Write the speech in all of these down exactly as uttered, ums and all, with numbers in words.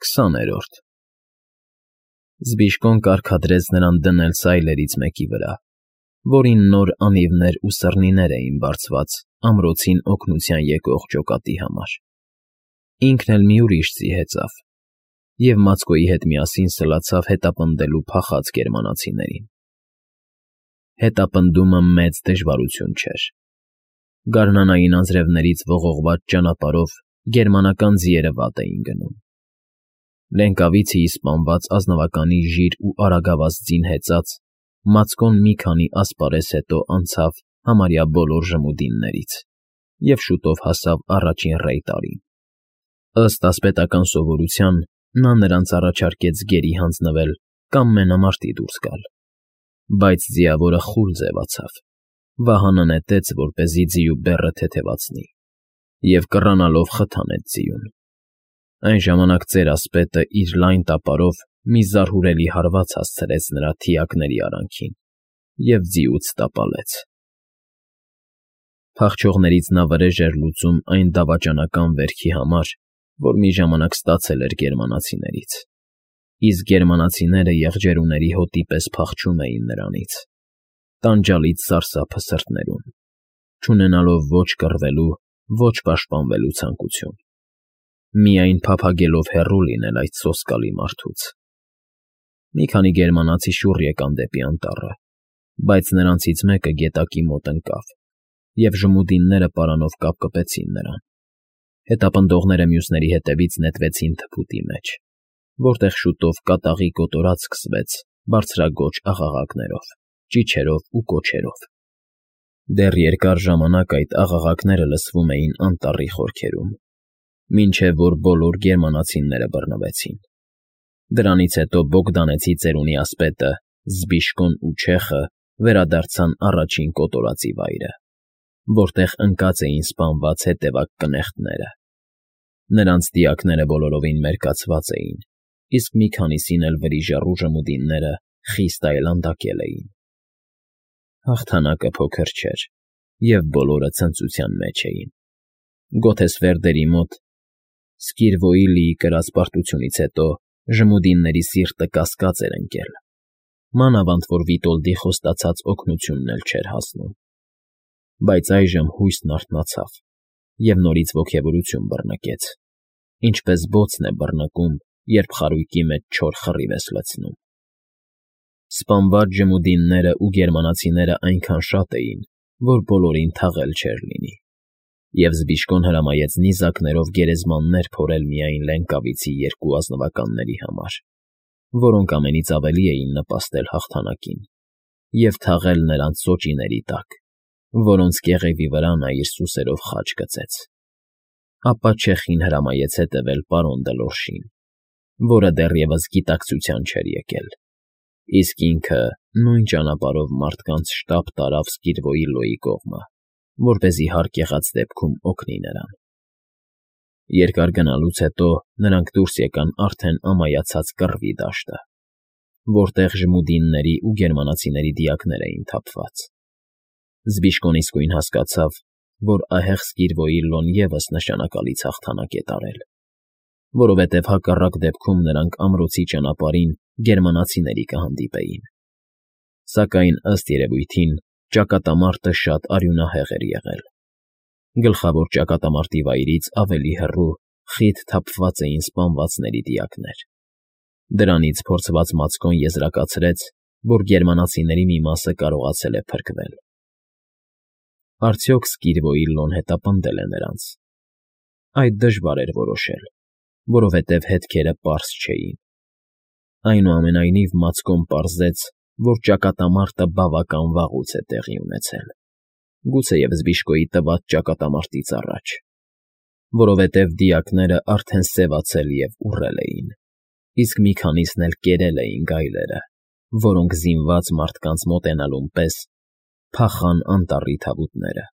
Քսաներորդ Զբիշկոն կարգադրեց նրան դնել սայլերից մեկի վրա, որին նոր անիվներ ու սռնիներ էին բարձված ամրոցին օգնության եկող ջոկատի համար. ինքն էլ մի ուրիշ ձի հեծավ և մածկոյի հետ միասին սլացավ հետապնդելու փախած գերմանացիներին։ Հետապնդումը մեծ դժվարություն չէր։ Գարնանային անձրևներից ողողված ճանապարհով գերմանական ձիերը վատ էին գնում։ Լենկավիցիի սպանված ազնվականի ժիր ու արագավազ ձին հեծած, մածկոն մի քանի ասպարեզ հետո անցավ համարյա բոլոր ժմուդիններից և շուտով հասավ առաջին ռեյտարին։ Ըստ ասպետական սովորության նա նրանց առաջարկեց գերի հանձնվել կամ մենամարտի դուրս գալ, բայց ձիավորը խուլ ձևացավ, վահանը նետեց, որպեսզի ձիու բեռը թեթևացնի, և կռանալով խթանեց ձիուն։ Այն ժամանակ ծեր ասպետը իր լայն տապարով մի զարհուրելի հարված հասցրեց նրա թիակների արանքին և ձիուց տապալեց։ Փախչողներից նա վրեժ էր լուծում այն դավաճանական վերքի համար, որ մի ժամանակ ստացել էր գերմանացիներից, իսկ գերմանացիները եղջերուների հոտի պես փախչում էին նրանից, տանջալից սարսափը սրտներում, չունենալով ոչ կռվելու, ոչ պաշտպանվելու ցանկություն, միայն փափագելով հեռու լինել այդ սոսկալի մարդուց։ Մի քանի գերմանացի շուռ եկան դեպի անտառը, բայց նրանցից մեկը գետակի մոտ ընկավ, և ժմուդինները պարանով կապկպեցին նրան։ Հետապնդողները մյուսների հետևից նետվեցին թփուտի մեջ, որտեղ շուտով կատաղի կոտորած սկսվեց բարձրաձոչ աղաղակներով, ճիչերով ու կոչերով։ Դեռ երկար ժամանակ այդ աղաղակները լսվում էին անտառի խորքերում, մինչև որ բոլոր գերմանացիները բռնվեցին։ Դրանից հետո Բոգդանեցի ծերունի ասպետը, Զբիշկոն ու չեխը վերադարձան առաջին կոտորածի վայրը, որտեղ ընկած էին սպանված հետևակ կնեղտները։ Նրանց դիակները բոլորովին մերկացված էին, իսկ մի քանիսին էլ վրիժառու ժմուդինները խիստ այլանդակել էին։ Հաղթանակը փոքր չէր, և բոլորը ցնծության մեջ էին։ Գոթեսվերդերի մոտ Սկիրվոիլիի կրած պարտությունից հետո ժմուդինների սիրտը կասկած էր ընկել, մանավանդ որ Վիտոլդի խոստացած օգնությունն էլ չէր հասնում։ Բայց այժմ հույսն արթնացավ և նորից ոգևորություն բռնկեց, ինչպես բոցն է բռնկում, երբ խարույկի մեջ չոր խռիվ ես լցնում։ Սպանված ժմուդիններն ու գերմանացիներն այնքան շատ էին, որ բոլորին թաղել չէր լինի, և Զբիշկոն հրամայեց նիզակներով գերեզմաններ փորել միայն Լենկավիցի երկու ազնվականների համար, որոնք ամենից ավելի էին նպաստել հաղթանակին, և թաղել նրանց սոճիների տակ, որոնց կեղևի վրա նա իր սուսերով խաչ գծեց։ Ապա չեխին հրամայեց հետևել պարոն Դլորշին, որը դեռևս գիտակցության չէր եկել, իսկ ինքը նույն ճանապարհով մարդկանց շտապ տարավ Սկիրվոիլլոյի կողմը, որպեսզի հարկ եղած դեպքում օգնի նրան։ Երկար գնալուց հետո նրանք դուրս եկան արդեն ամայացած կռվի դաշտը, որտեղ ժմուդինների ու գերմանացիների դիակներ էին թափված։ Զբիշկոն իսկույն հասկացավ, որ ահեղ Սկիրվոիլլոն ևս նշանակալից հաղթանակ է տարել, որովհետև հակառակ դեպքում նրանք ամրոցի ճանապարհին գերմանացիների կհանդիպեին։ Սակայն, ըստ երևույթին, ճակատամարտը շատ արյունահեղ էր եղել։ Գլխավոր ճակատամարտի վայրից ավելի հեռու խիտ թափված էին սպանվածների դիակներ։ Դրանից փորձված մածկոն եզրակացրեց, որ գերմանացիների մի մասը կարողացել է փրկվել։ Արդյոք Սկիրվոիլլոն հետապնդել է նրանց։ Այդ դժվար էր որոշել, որովհետև հետքերը պարզ չէին։ Այնուամենայնիվ մածկոն պարզեց, որ ճակատամարտը բավական վաղուց է տեղի ունեցել, գուցեև Զբիշկոյի տված ճակատամարտից առաջ, որովհետև դիակները արդեն սևացել և ուռել էին, իսկ մի քանիսն էլ կերել էին գայլերը, որոնք զինված մարդկանց մոտենալուն պես փախան անտառի թավուտները։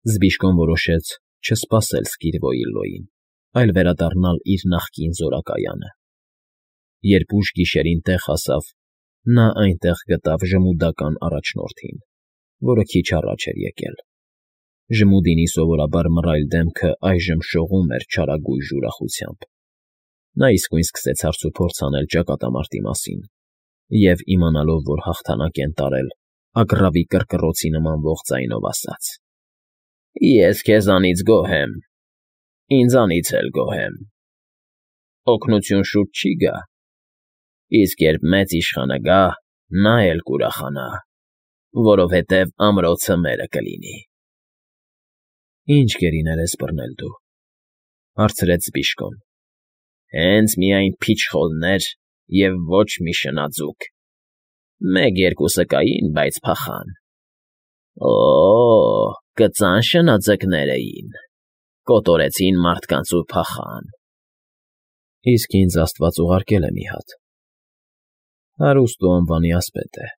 Զբիշկոն որոշեց չսպասել Սկիրվոիլլոյին, այլ վերադառնալ իր նախկին զորակայանը։ Երբ ուշ գիշերին տեղ հասավ, նա այնտեղ գտավ ժմուդական առաջնորդին, որը քիչ առաջ էր եկել։ Ժմուդինի սովորաբար մռայլ դեմքը այժմ շողում էր չարագույժ ուրախությամբ։ Նա իսկույն սկսեց հարցուփորձ անել ճակատամարտի մասին և, իմանալով, որ հաղթանակ են տարել, ագռավի կռկռոցի նմանվող ձայնով ասաց. «Ես քեզանից գոհ եմ, ինձանից էլ գոհ եմ։ Օգնություն շուտ չի գա, իսկ երբ մեծ իշխանը գա, նա էլ կուրախանա, որովհետև ամրոցը մերը կլինի»։ «Ի՞նչ գերիներ ես բռնել դու,֊ հարցրեց Զբիշկոն։ «Հենց միայն փիչխոլներ և ոչ մի շնաձուկ։ Մեկ֊երկուսը կային, բայց փախան։ Օ՜օ, կծան շնաձկներ էին, կոտորեցին մարդկանց ու փախան»։ «Իսկ ինձ աստված ուղարկել է մի հատ. հարուստ ու անվանի ասպետ է,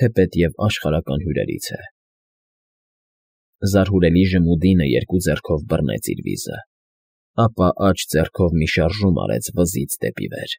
թեպետ և աշխարհական հյուրերից է»։ Զարհուրելի ժմուդինը երկու ձեռքով բռնեց իր վիզը, ապա աջ ձեռքով մի շարժում արեց վզից դեպի վեր։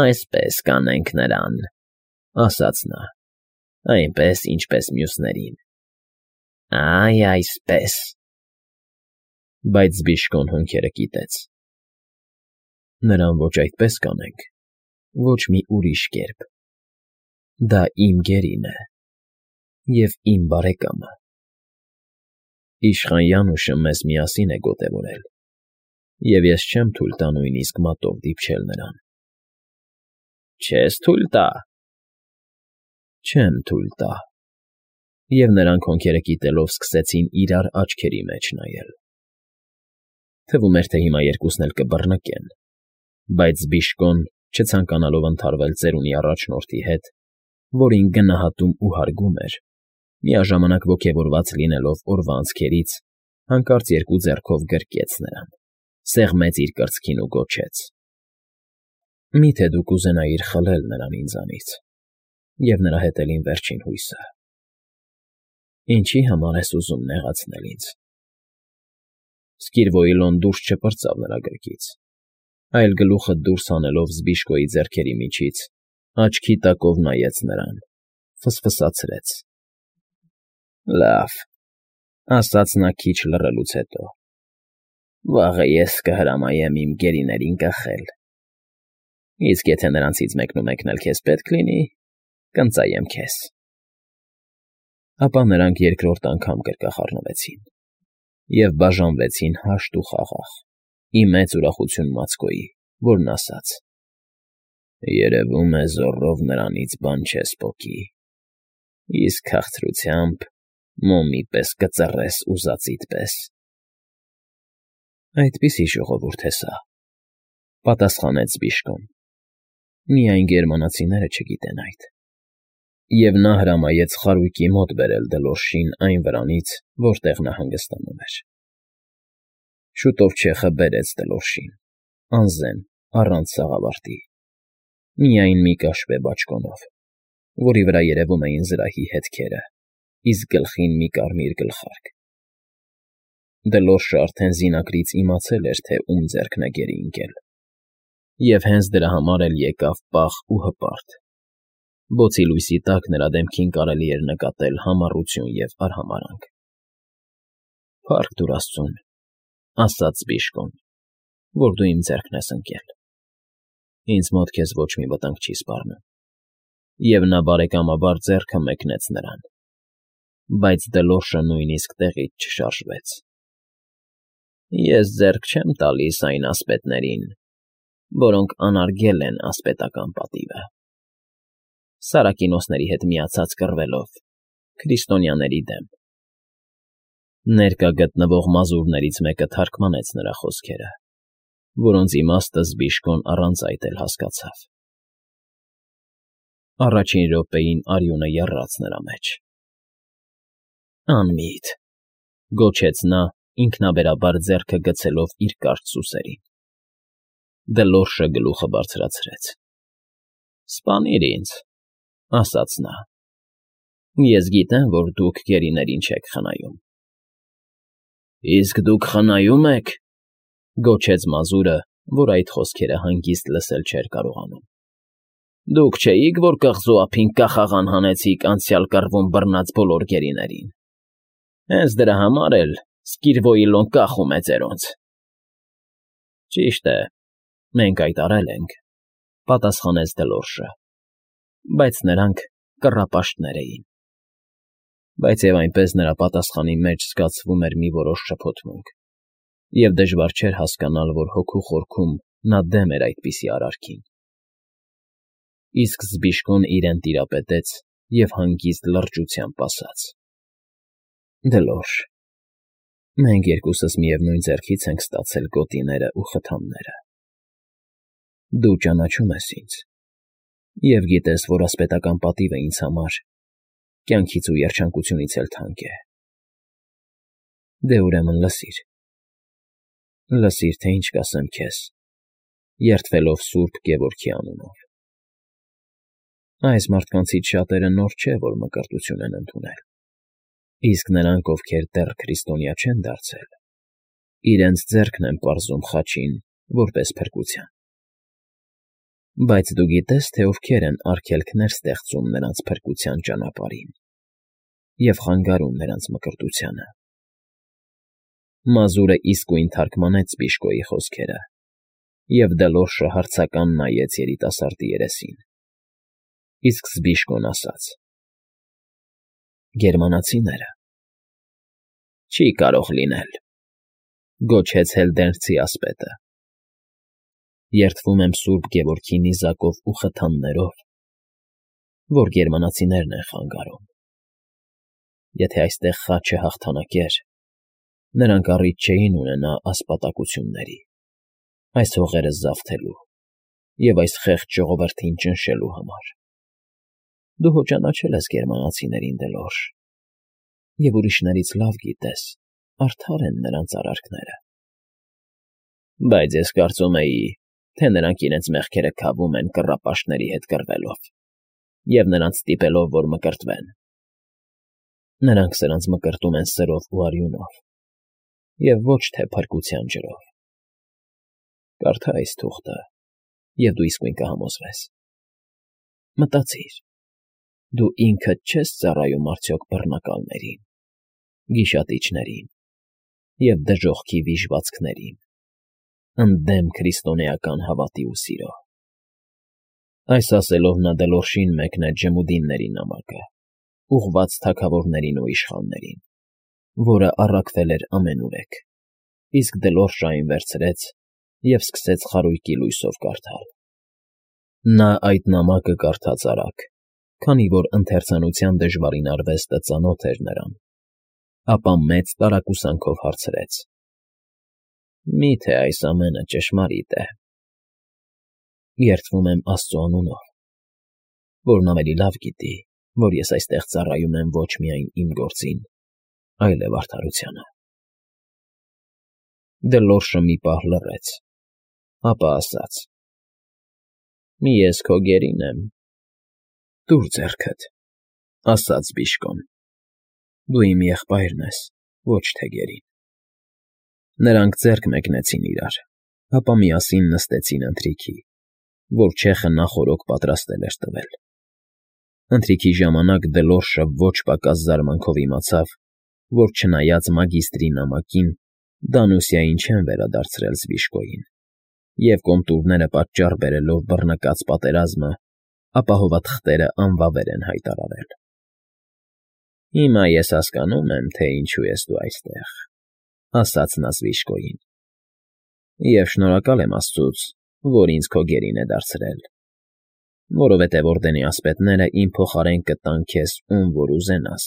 «Այսպես կանենք նրան,֊ ասաց նա,֊ այնպես, ինչպես մյուսներին։ Այ այսպես»։ Բայց Զբիշկոն հոնքերը կիտեց։ «Նրան ոչ այդպես կանենք, ոչ մի ուրիշ կերպ։ Դա իմ գերին է և իմ բարեկամը։ Իշխան Յանուշը մեզ միասին է գոտևորել, և ես չեմ թույլ տա նույնիսկ մատով դիպչել նրան»։ «Չես թույլ տա»։ «Չեմ թույլ տա»։ Եվ նրանք հոնքերը կիտելով սկսեցին իրար աչքերի մեջ նայել։ Թվում էր, թե հիմա երկուսն էլ կբռնկեն, բայց Զբիշկոն, չցանկանալով ընդհարվել ծերունի առաջնորդի հետ, որին գնահատում ու հարգում էր, միաժամանակ ոգևորված լինելով օրվա անցքերից, հանկարծ երկու ձեռքով գրկեց նրան, սեղմեց իր կրծքին ու գոչեց. «Մի՞թե դու կուզենայիր խլել նրան ինձանից և նրա հետ էլ իմ վերջին հույսը։ Ինչի՞ համար ես ուզում նեղացնել ինձ»։ Սկիրվոյլոն դուրս չպրծավ նրա գրկից, այլ գլուխը դուրս հանելով Զբիշկոյի ձեռքերի միջից, աչքի տակով նայեց նրան, ֆսֆսացրեց. «Լավ,֊ ասաց նա քիչ լռելուց հետո,֊ վաղը ես կհրամայեմ իմ գերիներին կխել, իսկ եթե նրանցից մեկն ու մեկն էլ քեզ պետք լինի, կընծայեմ քեզ»։ Ապա նրանք երկրորդ անգամ գրկախառնվեցին և բաժանվեցին հաշտ ու խաղաղ, ի մեծ ուրախություն Մացկոյի, որն ասաց. «Երևում է զոռով նրանից բան չես պոկի, իսկ քաղցրությամբ մոմի պես կծռես ուզածիդ պես»։ «Այդպիսի ժողովուրդ է սա,֊ պատասխանեց Զբիշկոն,֊ միայն գերմանացիները չգիտեն այդ»։ Եվ նա հրամայեց խարույկի մոտ բերել Դլորշին այն վրանից, որտեղ նա հանգստանում էր։ Շուտով չեխը բերեց Դլորշին, անզեն, առանց սաղավարտի, միայն մի կաշվե բաճկոնով, որի վրա երևում էին զրահի հետքերը, իսկ գլխին մի կարմիր գլխարկ։ Դլորշը արդեն զինակրից իմացել էր, թե ում ձեռքն է գերի ընկել, և հենց դրա համար էլ եկավ պաղ ու հպարտ։ Բոցի լույսի տակ նրա դեմքին կարելի էր նկատել համառություն և արհամարհանք։ «Փառք տուր աստծուն,֊ ասաց Զբիշկոն,֊ որ դու իմ ձեռքն ես ընկել։ Ինձ մոտ քեզ ոչ մի վտանգ չի սպառնում»։ Եվ նա բարեկամաբար ձեռքը մեկնեց նրան, բայց Դլորշը նույնիսկ տեղից չշարժվեց։ «Ես ձեռք չեմ տալիս այն ասպետներին, որոնք անարգել են ասպետական պատիվը, Սարակինոսների հետ միացած կռվելով, քրիստոնյաների դեմ»։ Ներկա գտնվող մազուրներից մեկը թարգմանեց նրա խոսքերը, որոնց իմաստը Զբիշկոն առանց այդ էլ հասկացավ։ Առաջին րոպեին արյունը եռաց նրա մեջ։ «Անմիտ,֊ գոչեց նա, ինքնաբերաբար ձեռքը գցելով իր կարճ սուսերին։ Դլորշը գլուխը բարձրացրեց։ «Սպանիր ինձ,֊ ասաց նա,֊ ես գիտեմ, որ դուք գերիներին չեք խնայում»։ «Իսկ դուք խնայո՞ւմ եք,֊ գոչեց մազուրը, որ այդ խոսքերը հանգիստ լսել չէր կարողանում։ Դուք չէի՞ք, որ կղզու ափին կախաղան հանեցիք անցյալ կռվում բռնած բոլոր գերիներին։ Հենց դրա համար էլ Սկիրվոյլոն կախում է ձերոնց»։ Ճիշտ է, մենք այդ արել ենք,֊ պատասխանեց Դլորշը,֊ բայց նրանք կռապաշտներ էին… Բայց և այնպես նրա պատասխանի մեջ զգացվում էր մի որոշ շփոթմունք, և դժվար չէր հասկանալ, որ հոգու խորքում նա դեմ էր այդպիսի արարքին… Իսկ Զբիշկոն իրեն տիրապետեց և հանգիստ լրջությամբ ասաց. «Դլորշ, մենք երկուսս միևնույն ձեռքից ենք ստացել գոտիներն ու խթանները… Դու ճանաչում ես ինձ և գիտես, որ ասպետական պատիվը ինձ համար կյանքից ու երջանկությունից էլ թանկ է… Դե, ուրեմն, լսիր… Լսիր, թե ինչ կասեմ քեզ, երդվելով սուրբ Գևորգի անունով… Այս մարդկանցից շատերը նոր չէ, որ մկրտություն են ընդունել, իսկ նրանք, ովքեր դեռ քրիստոնյա չեն դարձել, իրենց ձեռքն են պարզում խաչին որպես փրկության… Բայց դու գիտե՞ս, թե ովքեր են արգելքներ ստեղծում նրանց փրկության ճանապարհին և խանգարում նրանց մկրտությանը…» Մազուրը իսկույն թարմգանեց Զբիշկոյի խոսքերը, և Դլորշը հարցական նայեց երիտասարդի երեսին, իսկ Զբիշկոն ասաց. «Գերմանացիները…»։ ֊ Չի կարող լինել,֊ գոչեց Հելդենսցի ասպետը,֊ երդվում եմ սուրբ Գևորգի նիզակով ու խթաններով, որ գերմանացիներն են խանգարում… Եթե այստեղ խաչը հաղթանակեր, նրանք առիթ չէին ունենա ասպատակությունների, այս հողերը զավթելու և այս խեղճ ժողովրդին ճնշելու համար… Դու հո ճանաչել ես գերմանացիներին, Դլորշ, և ուրիշներից լավ գիտես, արդար են նրանց արարքները… Բայց ես կարծում էի, թե նրանք իրենց մեղքերը քավում են կռապաշտների հետ կռվելով և նրանց ստիպելով, որ մկրտվեն… Նրանք սրանց մկրտում են սրով ու արյունով և ոչ թե փրկության ջրով… Կարդա այս թուղթը, և դու իսկույն կհամոզվես… Մտածիր, դու ինքդ չե՞ս ծառայում արդյոք բռնակալներին, գիշատիչներին և դժոխքի վիժվածքներին, ընդդեմ քրիստոնեական հավատի ու սիրո… Այս ասելով նա Դլորշին մեկնեց Ջմուդինների նամակը, ուղղված թագավորներին ու իշխաններին, որը առաքվել էր ամենուրեք, իսկ Դլորշը այն վերցրեց և սկսեց խարույկի լույսով կարդալ… Նա այդ նամակը կարդաց արագ, քանի որ ընթերցանության դժվարին արվեստը ծանոթ էր նրան, ապա մեծ տարակուսանքով հարցրեց. «Մի՞թե այս ամենը ճշմարիտ է»։ ֊ Երդվում եմ Աստծու անունով, որն ավելի լավ գիտի, որ ես այստեղ ծառայում եմ ոչ միայն իմ գործին, այլև արդարությանը… Դլորշը մի պահ լռեց, ապա ասաց. «Ես քո գերին եմ»։ ֊ Տուր ձեռքդ,֊ ասաց Զբիշկոն,֊ դու իմ եղբայրն ես, ոչ թե գերին… Նրանք ձեռք մեկնեցին իրար, ապա միասին նստեցին ընթրիքի, որ չեխը նախօրոք պատրաստել էր տվել… Ընթրիքի ժամանակ Դլորշը ոչ պակաս զարմանքով իմացավ, որ չնայած մագիստրի նամակին, Դանուսիային չեն վերադարձրել Զբիշկոյին և, կոմտուրները պատճառ բերելով բռնկած պատերազմը, ապահովված թղթերը անվավեր են հայտարարել… ֊ Հիմա ես հասկանում եմ, թե ինչու ես դու այստեղ,֊ ասաց նա Զբիշկոյին,֊ և շնորհակալ եմ աստծուց, որ ինձ քո գերին է դարձրել, որովհետև օրդենի ասպետները իմ փոխարեն կտան քեզ ում որ ուզենաս…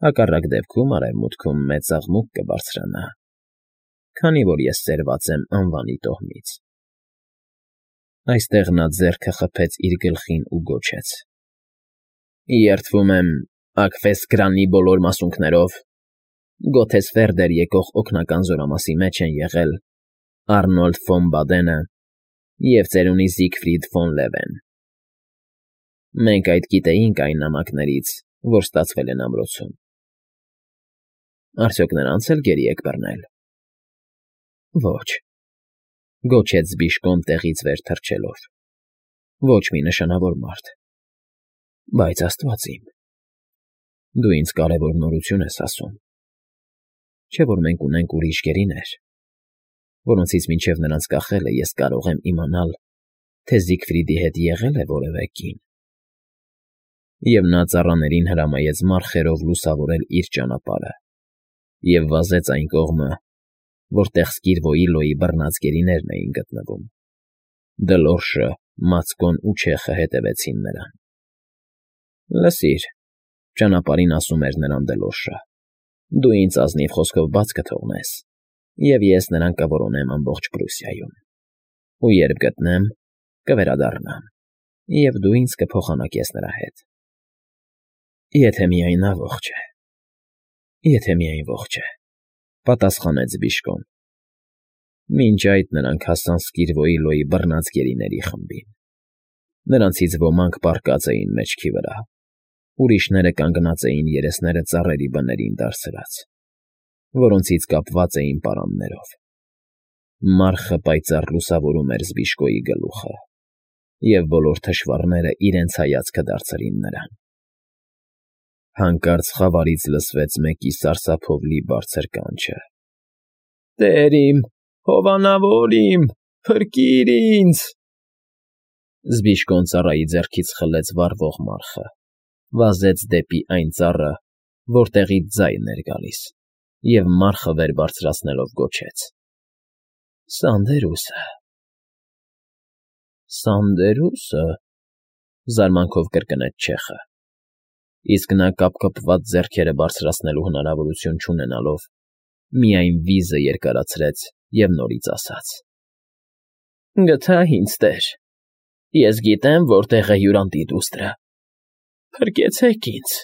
Հակառակ դեպքում արևմուտքում մեծ աղմուկ կբարձրանա, քանի որ ես սերված եմ անվանի տոհմից… Այստեղ նա ձեռքը խփեց իր գլխին ու գոչեց. «Երդվում եմ Աքֆեսկրանի բոլոր մասունքներով, Գոթեսֆերդեր եկող օգնական զորամասի մեջ են եղել Արնոլդ ֆոն Բադենը և ծերունի Զիգֆրիդ ֆոն Լևեն… Մենք այդ գիտեինք այն նամակներից, որ ստացվել են ամրոցում… Արդյոք նրանց էլ գերի եք բռնել…֊ Ոչ,֊ գոչեց Զբիշկոն տեղից վեր թռչելով,֊ ոչ մի նշանավոր մարդ… Բայց, աստված իմ… Դու ինձ կարևոր նորություն ես ասում… Չէ՞ որ մենք ունենք ուրիշ գերիներ… որոնցից մինչև նրանց կախելը ես կարող եմ իմանալ, թե Զիգֆրիդի հետ եղել է որևէ կին։ Եվ նա ծառաներին հրամայեց մարխերով լուսավորել իր ճանապարհը և վազեց այն կողմը, որտեղ Սկիրվոյիլոյի բռնած գերիներն էին գտնվում։ Դլորշը, Մացկոն ու Չեխը հետևեցին նրան։ ֊ Լսիր,֊ ճանապարհին ասում էր նրան Դլորշը,֊ դու ինձ ազնիվ խոսքով բաց կթողնես, և ես նրան կորոնեմ ամբողջ Պրուսիայում, ու երբ գտնեմ, կվերադառնամ, և դու ինձ կփոխանակես նրա հետ։ ֊ Եթե միայն նա ողջ է, եթե միայն ողջ է,֊ պատասխանեց Բիժկոն։ Մինչ այդ նրանք հասան Սկիրվոյիլոյի բռնած գերիների խմբին։ Նրանցից ոմանք պառկած էին մեջքի վրա, ուրիշները կանգնած էին երեսները ծառերի բներին դարսրած, որոնցից կապված էին պարաններով։ Մառխը պայծառ լուսավորում էր Զբիժկոյի գլուխը, և բոլոր թշվառները իրենց հայացքը դարձրին նրան։ Հանկարծ խավարից լսվեց մեկի սարսափով լի բարձր կանչը. «Տեր իմ, հովանավոր իմ, փրկիր ինձ»։ Զբիժկոն ծառայի ձեռքից խլեց վառվող մառխը, վազեց դեպի այն ծառը, որտեղից ձայն էր գալիս, և մառխը վեր բարձրացնելով գոչեց. «Սանդերուսը»։ ֊ Սանդերո՞ւսը,֊ զարմանքով կրկնեց Չեխը, իսկ նա կապկպված ձեռքերը բարձրացնելու հնարավորություն չունենալով, միայն վիզը երկարացրեց և նորից ասաց. «Գտա, ինձ տեր, ես գիտեմ որտեղ է հյուրանտի դուստրը, փրկեցեք ինձ»։